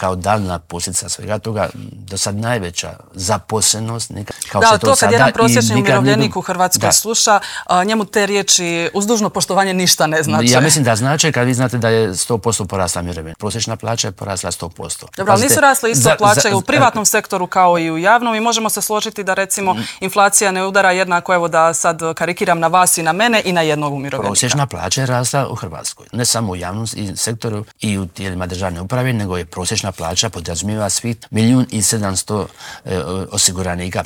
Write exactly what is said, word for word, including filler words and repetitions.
kao daljna posljedica svega toga, do sad najveća zaposlenost. Kao da, to, to kad sada, jedan prosječni umirovljenik nikad... u Hrvatskoj da. sluša, a, njemu te riječi uz dužno poštovanje ništa ne znači. Ja mislim da znači kad vi znate da je sto posto porasla mirovina. Prosječna plaća je porasla sto posto. Dobro, ali nisu rasle isto plaće i u privatnom sektoru kao i u javnom i možemo se složiti da recimo inflacija ne udara jednako, evo da sad karikiram na vas i na mene i na jednog umirovljenika. Prosječna plaća je rasla u Hrvatskoj. Ne samo u javnom sektoru i u tijelima državne uprave, nego je prosječna plaća podrazumijeva svih milijun i sedamsto osiguranika.